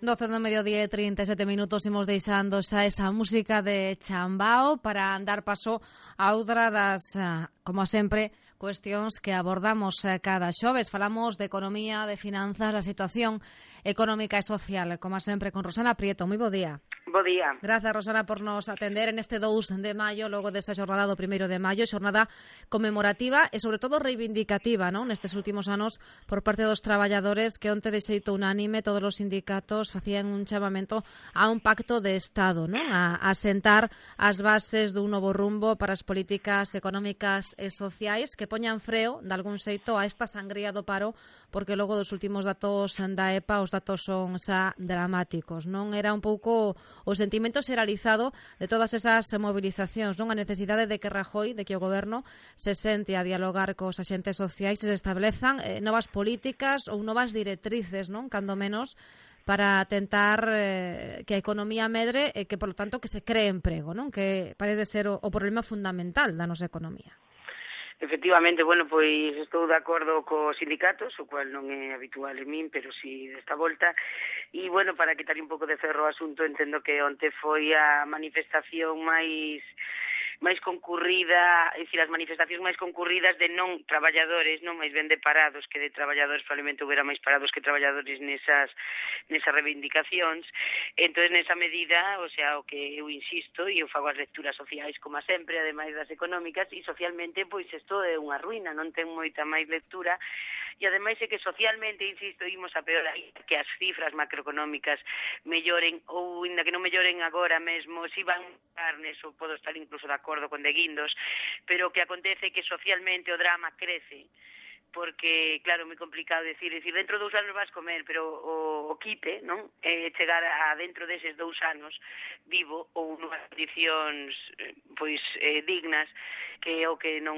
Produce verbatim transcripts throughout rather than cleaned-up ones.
doce do mediodía e trinta e sete minutos imos deixando xa esa música de Chambao para dar paso a outra das, como sempre, cuestións que abordamos cada xoves. Falamos de economía, de finanzas, da situación económica e social, como sempre, con Rosana Prieto. Moi bo día. Bo día. Grazas, Rosana, por nos atender en este dous de maio, logo desa xornada do primeiro de maio, xornada conmemorativa e, sobre todo, reivindicativa, non? Nestes últimos anos, por parte dos traballadores, que onte de xeito unánime todos os sindicatos facían un chamamento a un pacto de Estado, non? A, a sentar as bases dun novo rumbo para as políticas económicas e sociais que poñan freo, de algún xeito, a esta sangría do paro, porque logo dos últimos datos da E P A os datos son xa dramáticos, non? Era un pouco o sentimento xeralizado de todas esas movilizacións, non? A necesidade de que Rajoy, de que o goberno se sente a dialogar cos axentes sociais e se establezan eh, novas políticas ou novas directrices, non? Cando menos para tentar eh, que a economía medre e que, por lo tanto, que se cree emprego, non? Que parece ser o, o problema fundamental da nosa economía. Efectivamente, bueno, pois estou de acordo cos sindicatos, o cual non é habitual en min, pero si desta volta. E, bueno, para quitar un pouco de ferro ao asunto, entendo que onte foi a manifestación máis máis concurrida, é dicir, as manifestacións máis concurridas de non traballadores, non máis ben de parados, que de traballadores probablemente houbera máis parados que traballadores nesas nesas reivindicacións. Entón, nesa medida, o sea, o que eu insisto, e eu fago as lecturas sociais como sempre, ademais das económicas, e socialmente, pois, isto é unha ruína, non ten moita máis lectura, e ademais é que socialmente, insisto, imos a peor aí, que as cifras macroeconómicas melloren, ou ainda que non melloren agora mesmo, si van a neso, podo estar incluso de acordo con de guindos, pero o que acontece é que socialmente o drama crece, porque, claro, é moi complicado decir, decir, dentro de dous anos vas comer, pero o, o quite, non? É chegar a dentro deses dous anos vivo ou nunhas condicións, pois, eh, dignas, que é o que non,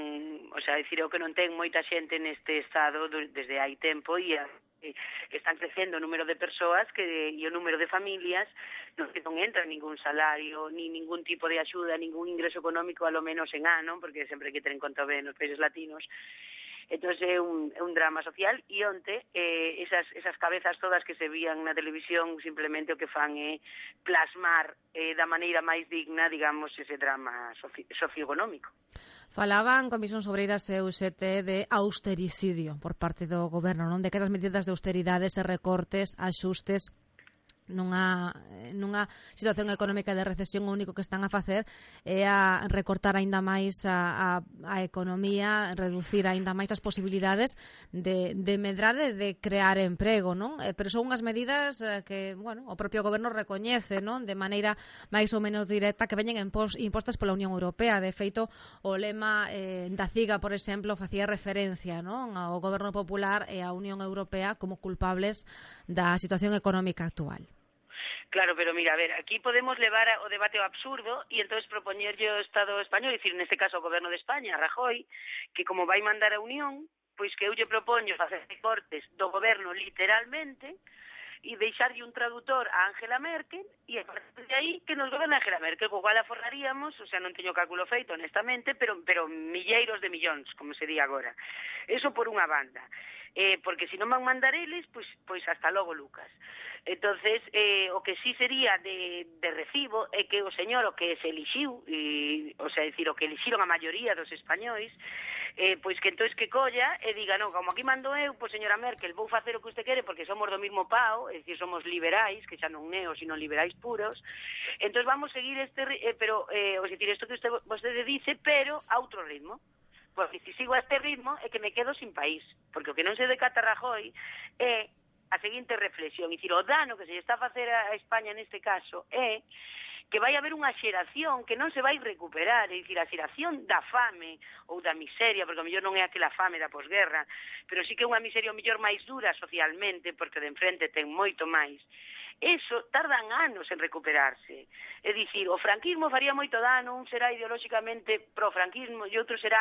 o sea, decir, é o que non ten moita xente neste estado desde hai tempo e a que están crecendo o número de persoas que, e o número de familias no que non entra ningún salario, ni ningún tipo de axuda, ningún ingreso económico, a lo menos en ano, porque sempre hai que ter en conta ben nos países latinos. Entón é un, é un drama social e onte eh, esas, esas cabezas todas que se vían na televisión simplemente o que fan é plasmar eh, da maneira máis digna, digamos, ese drama soci, socioeconómico. Falaban Comisións Obreiras e U G T de austericidio por parte do goberno, non? De que as medidas de austeridades e recortes, axustes nunha, nunha situación económica de recesión, o único que están a facer é a recortar aínda máis a, a, a economía, reducir aínda máis as posibilidades de, de medrar e de crear emprego, non? Eh, pero son unhas medidas eh, que, bueno, o propio goberno recoñece, non? De maneira máis ou menos directa, que veñen impos, impostas pola Unión Europea. De feito, o lema eh, da CIGA, por exemplo, facía referencia, non? Ao goberno popular e á Unión Europea como culpables da situación económica actual. Claro, pero mira, a ver, aquí podemos levar o debate ao absurdo e entonces propoñerlle o Estado español, dicir, neste caso o Goberno de España, Rajoy, que como vai mandar a Unión, pois que eu lle propoño facer recortes do goberno literalmente e deixarlle un traductor a Angela Merkel e a partir de aí que nos goberna Angela Merkel, co cual aforraríamos, o sea, non teño cálculo feito honestamente, pero pero milleiros de millóns, como se di agora. Eso por unha banda. Eh, porque se non van mandar eles, pois, pois hasta logo, Lucas. Entonces, eh, o que sí sería de, de recibo é que o señor o que se elixiu, e, o sea, decir, o que elixiron a maioría dos españois, eh, pois que entonces que colla e diga, non, como aquí mando eu, pois señora Merkel, vou facer o que usted quere porque somos do mismo pao, é dicir, somos liberais, que xa non neos, sino liberais puros, entonces vamos seguir este, eh, pero, eh, o decir, isto que usted, usted dice, pero a outro ritmo. Porque se sigo a este ritmo é que me quedo sin país, porque o que non se decata Rajoy é a seguinte reflexión, é dicir, o dano que se está a facer a España neste caso é que vai haber unha xeración que non se vai recuperar, é dicir, a xeración da fame ou da miseria, porque o mellor non é aquela fame da posguerra, pero sí que é unha miseria o mellor máis dura socialmente, porque de enfrente ten moito máis. Eso tardan anos en recuperarse. É dicir, o franquismo faría moito dano, un será ideolóxicamente pro-franquismo e outro será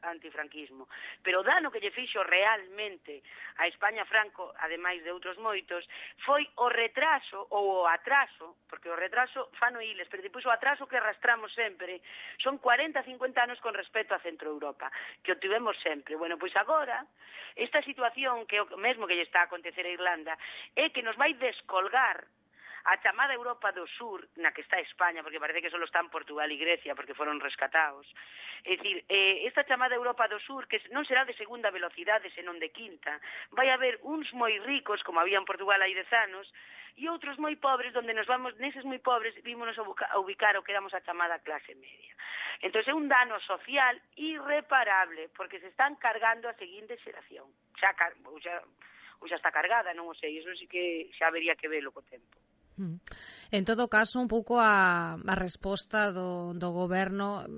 antifranquismo. Pero o dano que lle fixo realmente a España Franco, ademais de outros moitos, foi o retraso ou o atraso, porque o retraso fano iles, pero depois o atraso que arrastramos sempre son cuarenta a cincuenta anos con respecto a Centro Europa, que o tivemos sempre. Bueno, pois agora, esta situación que o mesmo que lle está a acontecer a Irlanda é que nos vai descolgar rescatar a chamada Europa do Sur, na que está España, porque parece que só están Portugal e Grecia, porque foron rescatados. É dicir, eh, esta chamada Europa do Sur, que non será de segunda velocidade, senón de quinta, vai haber uns moi ricos, como había en Portugal hai dez anos, e outros moi pobres, donde nos vamos, neses moi pobres, vímonos a, a ubicar o que éramos a chamada clase media. Entón, é un dano social irreparable, porque se están cargando a seguinte xeración. Xa, xa, xa está cargada, non o sei, iso sí que xa habería que velo co tempo. En todo caso, un pouco a, a resposta do, do goberno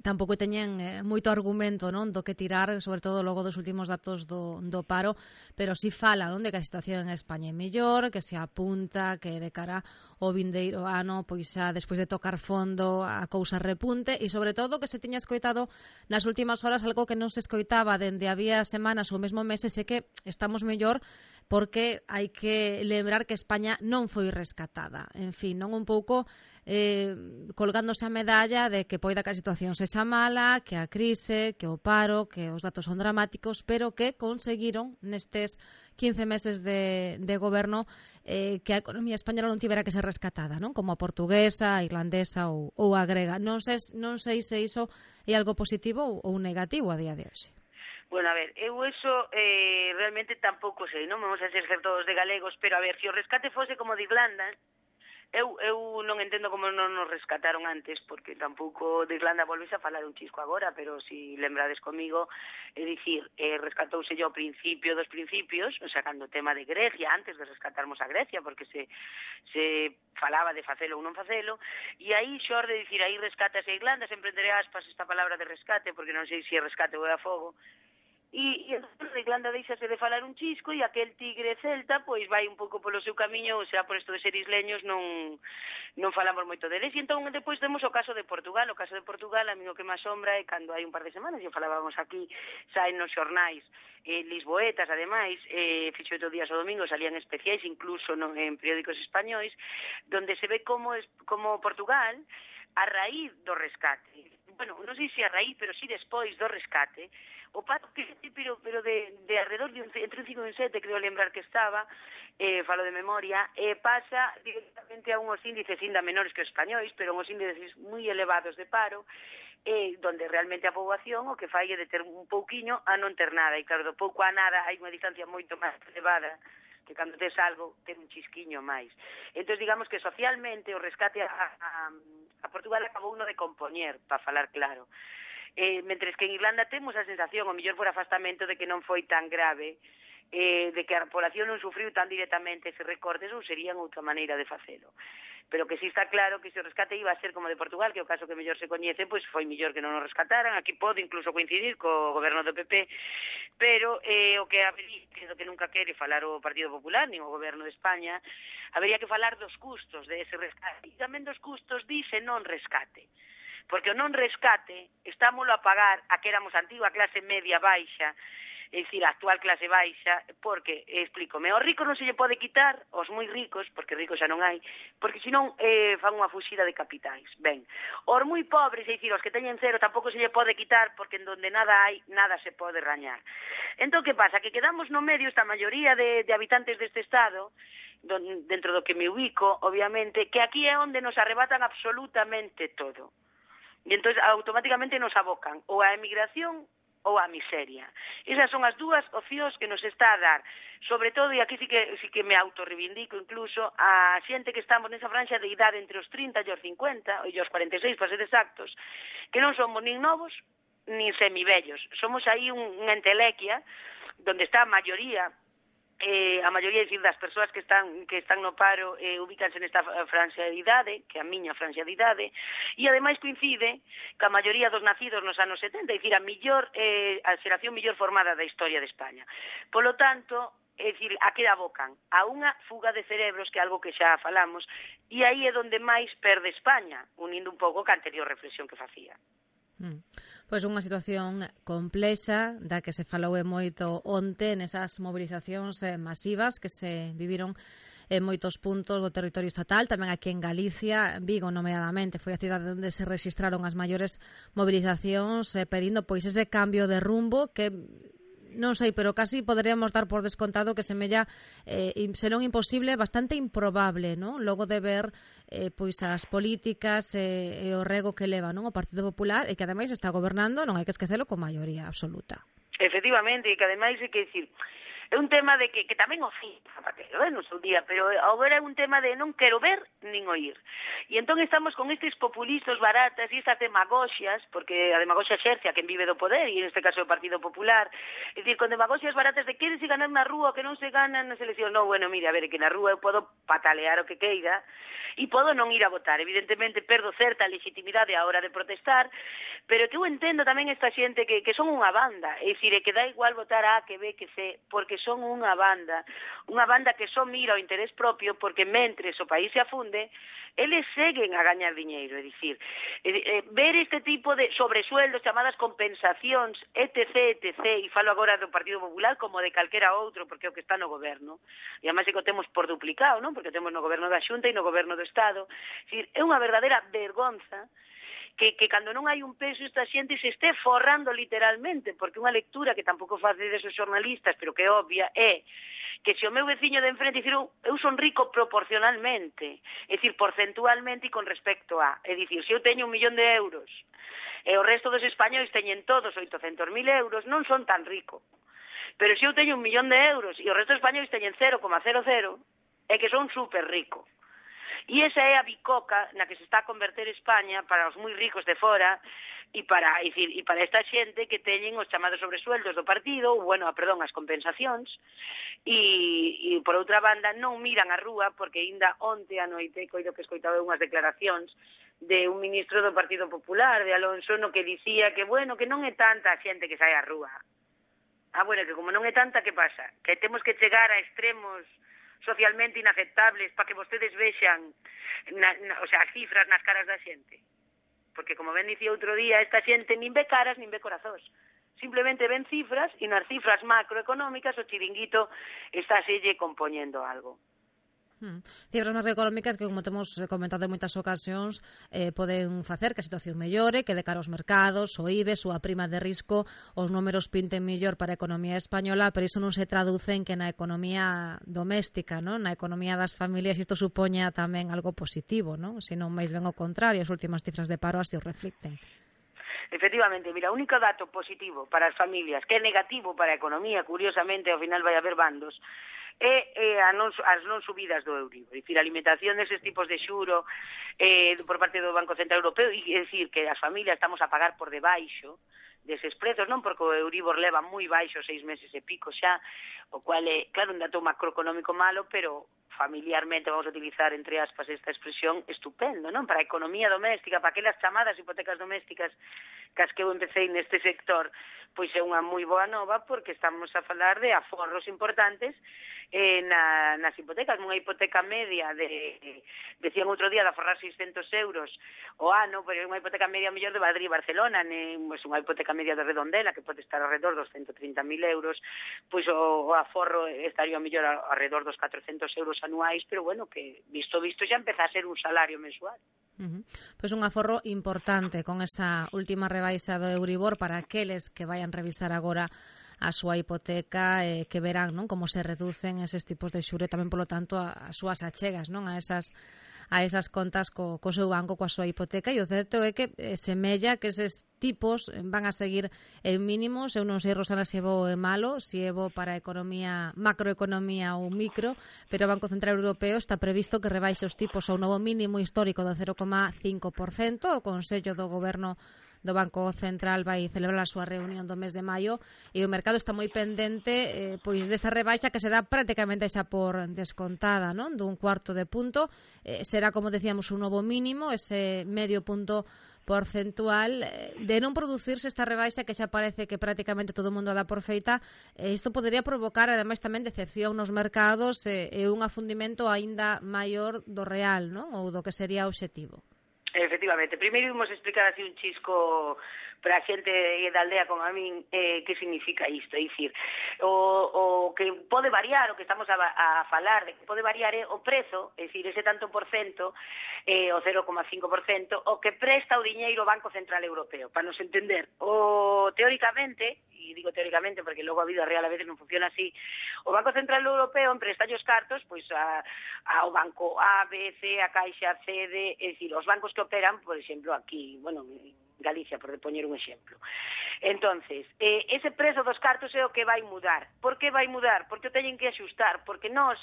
tampouco teñen eh, moito argumento, non, do que tirar, sobre todo logo dos últimos datos do, do paro, pero si fala, non, de que a situación en España é mellor, que se apunta que de cara ao vindeiro ano, pois xa despois de tocar fondo a cousa repunte, e sobre todo que se tiña escoitado nas últimas horas algo que non se escoitaba dende había semanas ou mesmo meses, é que estamos mellor porque hai que lembrar que España non foi rescatada. En fin, non un pouco eh, colgándose a medalla de que poida que a situación sexa mala, que a crise, que o paro, que os datos son dramáticos, pero que conseguiron nestes quince meses de, de goberno eh, que a economía española non tivera que ser rescatada, non? Como a portuguesa, a irlandesa ou, ou a grega. Non sei, non sei se iso é algo positivo ou, ou negativo a día de hoxe. Bueno, a ver, eu eso eh, realmente tampouco sei, non vamos a ser todos de galegos, pero a ver, se o rescate fose como de Irlanda, eu, eu non entendo como non nos rescataron antes, porque tampouco de Irlanda volves a falar un chisco agora, pero si lembrades comigo, é dicir, eh, rescatouse yo ao principio dos principios, sacando o tema de Grecia, antes de rescatarmos a Grecia, porque se, se falaba de facelo ou non facelo, e aí xor de dicir, aí rescatase a Irlanda, sempre entre aspas esta palabra de rescate, porque non sei se é rescate ou é a fogo, e, e entón a Irlanda deixase de falar un chisco e aquel tigre celta pois vai un pouco polo seu camiño, ou sea, por isto de ser isleños non non falamos moito deles. E entón depois temos o caso de Portugal. O caso de Portugal, a mí o que máis sombra é cando hai un par de semanas, e falábamos aquí, saen nos xornais eh, lisboetas, ademais, eh, fixo oito días o domingo, salían especiais, incluso no, en periódicos españois, donde se ve como, es, como Portugal, a raíz do rescate, bueno, non sei se a raíz, pero si despois do rescate, o paro que pero, pero de, de alrededor de un, entre un cinco e un sete, creo lembrar que estaba, eh, falo de memoria, eh, pasa directamente a unhos índices ainda menores que os españois, pero unhos índices moi elevados de paro, eh, donde realmente a poboación o que fai é de ter un pouquiño a non ter nada, e claro, do pouco a nada hai unha distancia moito máis elevada, que cando tes algo, ter un chisquiño máis. Entón, digamos que socialmente o rescate a, a, a Portugal acabou uno de compoñer, para falar claro. Eh, mentres que en Irlanda temos a sensación, o mellor por afastamento, de que non foi tan grave, eh, de que a población non sufriu tan directamente ese recortes, ou serían outra maneira de facelo. Pero que si está claro que se o rescate iba a ser como de Portugal, que é o caso que mellor se coñece, pois foi mellor que non o rescataran. Aquí pode incluso coincidir co goberno do P P, pero eh, o que habería, que é o que nunca quere falar o Partido Popular, nin o goberno de España, habería que falar dos custos de ese rescate, e tamén dos custos dice non rescate. Porque o non rescate estámoslo a pagar a que éramos a antigua clase media baixa, é dicir, a actual clase baixa, porque, explícome, aos ricos non se lle pode quitar, aos moi ricos, porque ricos xa non hai, porque senón eh, fan unha fuxida de capitais. Ben, aos moi pobres, é dicir, aos que teñen cero, tampouco se lle pode quitar, porque en donde nada hai, nada se pode rañar. Entón, que pasa? Que quedamos no medio, esta maioría de, de habitantes deste estado, don, dentro do que me ubico, obviamente, que aquí é onde nos arrebatan absolutamente todo. E entón automáticamente nos abocan ou a emigración ou a miseria. Esas son as dúas opcións que nos está a dar, sobre todo, e aquí sí que, sí que me autorreivindico incluso, a xente que estamos nesa franxa de idade entre os trinta e os cincuenta, e os cuarenta e seis, para ser exactos, que non somos nin novos, nin semibellos. Somos aí un, unha entelequia, donde está a maioría, Eh, a maioría dicir, das persoas que están que están no paro eh, ubícanse nesta franxa de idade, que a miña franxa de idade, e ademais coincide que a maioría dos nacidos nos anos setenta, é dicir, a millor eh, a xeración millor formada da historia de España. Polo tanto, é dicir, a que abocan? A unha fuga de cerebros, que é algo que xa falamos, e aí é onde máis perde España, unindo un pouco ca anterior reflexión que facía. Mm. Pois unha situación complexa da que se falou e moito onte nesas mobilizacións eh, masivas que se viviron en moitos puntos do territorio estatal, tamén aquí en Galicia, Vigo nomeadamente, foi a cidade onde se registraron as maiores mobilizacións eh, pedindo pois ese cambio de rumbo que non sei, pero casi poderíamos dar por descontado que semella eh, senón imposible, bastante improbable, non? Logo de ver eh, pois as políticas e, e o rego que leva, non, o Partido Popular, e que ademais está gobernando, non hai que esquecelo, con maioría absoluta. Efectivamente, e que ademais hai que dicir, é un tema de que, que tamén o fin Zapatero, eh, no seu día, pero agora é un tema de non quero ver nin oír. E entón estamos con estes populistas baratas e estas demagoxias, porque a demagoxia xerce a quen vive do poder, e en este caso o Partido Popular, é dicir, con demagoxias baratas de quérese ganar na rúa, que non se ganan nas eleccións. Non, bueno, mira, a ver, que na rúa eu podo patalear o que queira, e podo non ir a votar. Evidentemente perdo certa legitimidade á hora de protestar, pero que eu entendo tamén esta xente que, que son unha banda, é dicir, é que dá igual votar A que B que C, porque son unha banda, unha banda que só mira o interés propio, porque mentres o país se afunde, eles seguen a gañar diñeiro, é dicir, eh, eh, ver este tipo de sobresueldos, chamadas compensacións, etc, etc, e falo agora do Partido Popular como de calquera outro, porque é o que está no goberno, e además é que o temos por duplicado, non? Porque o temos no goberno da Xunta e no goberno do Estado, é dicir, é unha verdadeira vergonza que, que cando non hai un peso esta xente se este forrando literalmente, porque unha lectura que tampouco facedes os xornalistas, pero que é obvia, é que se o meu veciño de enfrente, dicir, eu, eu son rico proporcionalmente, é dicir, porcentualmente e con respecto a, é dicir, se eu teño un millón de euros e o resto dos españois teñen todos oitocentos mil euros, non son tan rico. Pero se eu teño un millón de euros e o resto dos españois teñen cero coma cero cero, é que son super rico. E esa é a bicoca na que se está a converter España para os moi ricos de fora e para, e, e para esta xente que teñen os chamados sobresueldos do partido, ou, bueno, perdón, as compensacións, e, e por outra banda non miran a rúa, porque ainda onte a noite coido que escoitaba unhas declaracións de un ministro do Partido Popular, de Alonso, no que dicía que, bueno, que non é tanta a xente que sai á rúa. Ah, bueno, que como non é tanta, que pasa? Que temos que chegar a extremos socialmente inaceptables para que vostedes vexan na, na, o sea, as cifras nas caras da xente, porque como ben dicía outro día, esta xente nin ve caras nin ve corazóns, simplemente ven cifras e nas cifras macroeconómicas o chiringuito está selle compoñendo algo. Hmm. Cifras macroeconómicas que, como temos comentado en moitas ocasións, eh, poden facer que a situación mellore, que de cara aos mercados, o I B E, súa prima de risco, os números pinten mellor para a economía española, pero iso non se traduce en que na economía doméstica, non? Na economía das familias, isto supoña tamén algo positivo, non? Se non máis ben o contrario, as últimas cifras de paro así o reflicten. Efectivamente, mira, o único dato positivo para as familias, que é negativo para a economía, curiosamente, ao final vai haber bandos, e eh, a non, as non subidas do Euribor, é dicir, a limitación deses tipos de xuro eh, por parte do Banco Central Europeo, e é dicir, que as familias estamos a pagar por debaixo deses prezos, non porque o Euribor leva moi baixo seis meses e pico xa, o cual é, claro, un dato macroeconómico malo, pero familiarmente, vamos a utilizar entre aspas esta expresión, estupendo, non? Para a economía doméstica, para aquelas chamadas hipotecas domésticas cas que eu empecé neste sector, pois é unha moi boa nova, porque estamos a falar de aforros importantes eh, na, nas hipotecas. Unha hipoteca media de, decían outro día, de aforrar seiscentos euros o ano, pero é unha hipoteca media mellor de Madrid e Barcelona, né? Pois unha hipoteca media de Redondela, que pode estar alrededor dos ciento trinta mil euros, pois o, o aforro estaría mellor alrededor dos catrocentos euros anuais, pero bueno, que visto visto xa empeza a ser un salario mensual. Uh-huh. Pois un aforro importante con esa última rebaixa do Euribor para aqueles que vayan revisar agora a súa hipoteca, eh, que verán, non, como se reducen eses tipos de xuro e tamén, polo tanto, as súas achegas, non, a esas a esas contas co, co seu banco, coa súa hipoteca, e o certo é que eh, semella que eses tipos van a seguir en mínimos. Eu non sei, Rosana, se é bo ou é malo, se é bo para a economía, macroeconomía ou micro, pero o Banco Central Europeo está previsto que rebaixe os tipos ao novo mínimo histórico do cero coma cinco por cento. O Consello do Goberno do Banco Central vai celebrar a súa reunión do mes de maio e o mercado está moi pendente eh, pois desa rebaixa que se dá prácticamente xa por descontada, non? Dun cuarto de punto, eh, será, como decíamos, un novo mínimo, ese medio punto porcentual. De non producirse esta rebaixa, que xa parece que prácticamente todo o mundo dá por feita, eh, isto podería provocar ademais tamén decepción nos mercados e eh, un afundimento aínda maior do real, non? Ou do que sería o obxectivo. Efectivamente, primeiro vimos explicar así un chisco para a xente da aldea como a min eh, que significa isto, é dicir, o, o que pode variar, o que estamos a, a falar de que pode variar é o prezo, é dicir, ese tanto por cento, eh, o cero coma cinco por cento, o que presta o diñeiro o Banco Central Europeo, para nos entender. O, teóricamente, e e digo teóricamente porque logo a vida real a veces non funciona así, o Banco Central Europeo empresta os cartos pois a, ao Banco A, B, C, a Caixa, C, D, é dicir, os bancos que operan, por exemplo, aquí, bueno, Galicia, por poñer un exemplo. Entonces, eh, ese prezo dos cartos é o que vai mudar. Por que vai mudar? Porque o teñen que axustar, porque nós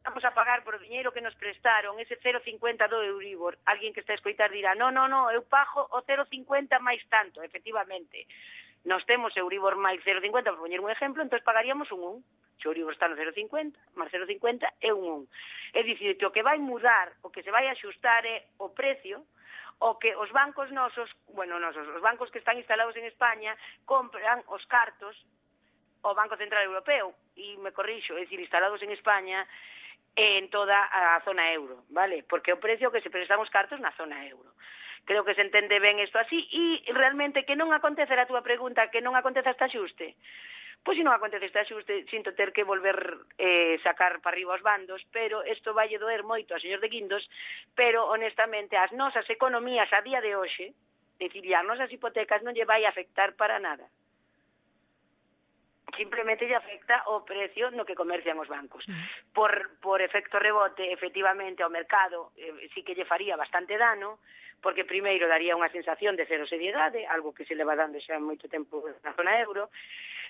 vamos a pagar por o diñeiro que nos prestaron, ese cero coma cincuenta do Euribor. Alguén que está a escoitar dirá, no, no, no, eu pago o cero coma cincuenta máis tanto, efectivamente. Nos temos Euribor máis cero coma cincuenta, por poñer un exemplo, entón pagaríamos un un. Se o Euribor está no cero coma cincuenta, máis cero coma cincuenta é un un. É dicir, que o que vai mudar, o que se vai axustar é o precio, o que os bancos nosos, bueno, nosos, os bancos que están instalados en España, compran os cartos ao Banco Central Europeo, e me corrixo, é dicir, instalados en España, en toda a zona euro, vale? Porque o precio que se prestan os cartos na zona euro. Creo que se entende ben isto así e realmente que non acontece a túa pregunta, que non acontece este axuste. Pois se non acontece este axuste, sinto ter que volver eh, sacar para arriba os bandos, pero isto vai doer moito a señor de Guindos, pero honestamente as nosas economías a día de hoxe, decir, as nosas hipotecas non lle vai afectar para nada. Simplemente lle afecta o precio no que comercian os bancos. Por, por efecto rebote, efectivamente, ao mercado eh, sí que lle faría bastante dano, porque primeiro daría unha sensación de cero seriedade, algo que se leva dando xa moito tempo na zona euro,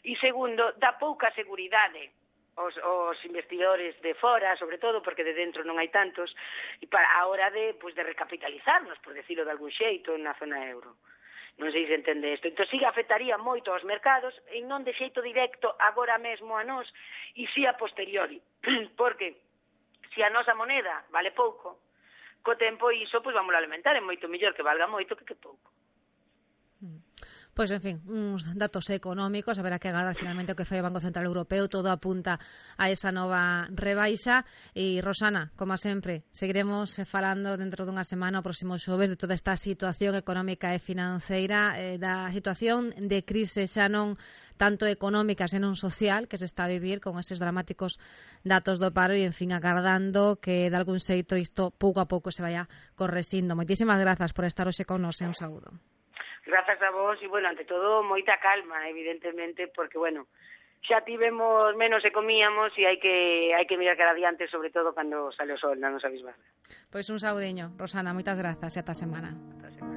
e segundo, dá pouca seguridade aos, aos investidores de fora, sobre todo, porque de dentro non hai tantos, e para a hora de, pues, de recapitalizarnos, por decirlo de algún xeito, na zona euro. Non sei se entende isto. Entón, sí afectaría moito aos mercados, e non de xeito directo agora mesmo a nós, e sí a posteriori. Porque se a nosa moneda vale pouco, co tempo iso, pois vamos a alimentar, é moito mellor que valga moito que que pouco. Pois, en fin, uns datos económicos, haberá que agardar finalmente o que fai o Banco Central Europeo, todo apunta a esa nova rebaixa. E, Rosana, como sempre, seguiremos falando dentro dunha semana, o próximo xoves, de toda esta situación económica e financeira, eh, da situación de crise xa non tanto económica, senón social, que se está a vivir con eses dramáticos datos do paro e, en fin, agardando que de algún xeito isto pouco a pouco se vaya correxindo. Moitísimas grazas por estar hoxe con nos e un saúdo. Grazas a vos e, bueno, ante todo, moita calma, evidentemente, porque, bueno, xa tivemos menos e comíamos e hai que hai que mirar cara adiante, sobre todo cando sale o sol na nosa bisbarra. Pois un saudiño, Rosana, moitas grazas e ata semana. Ata semana.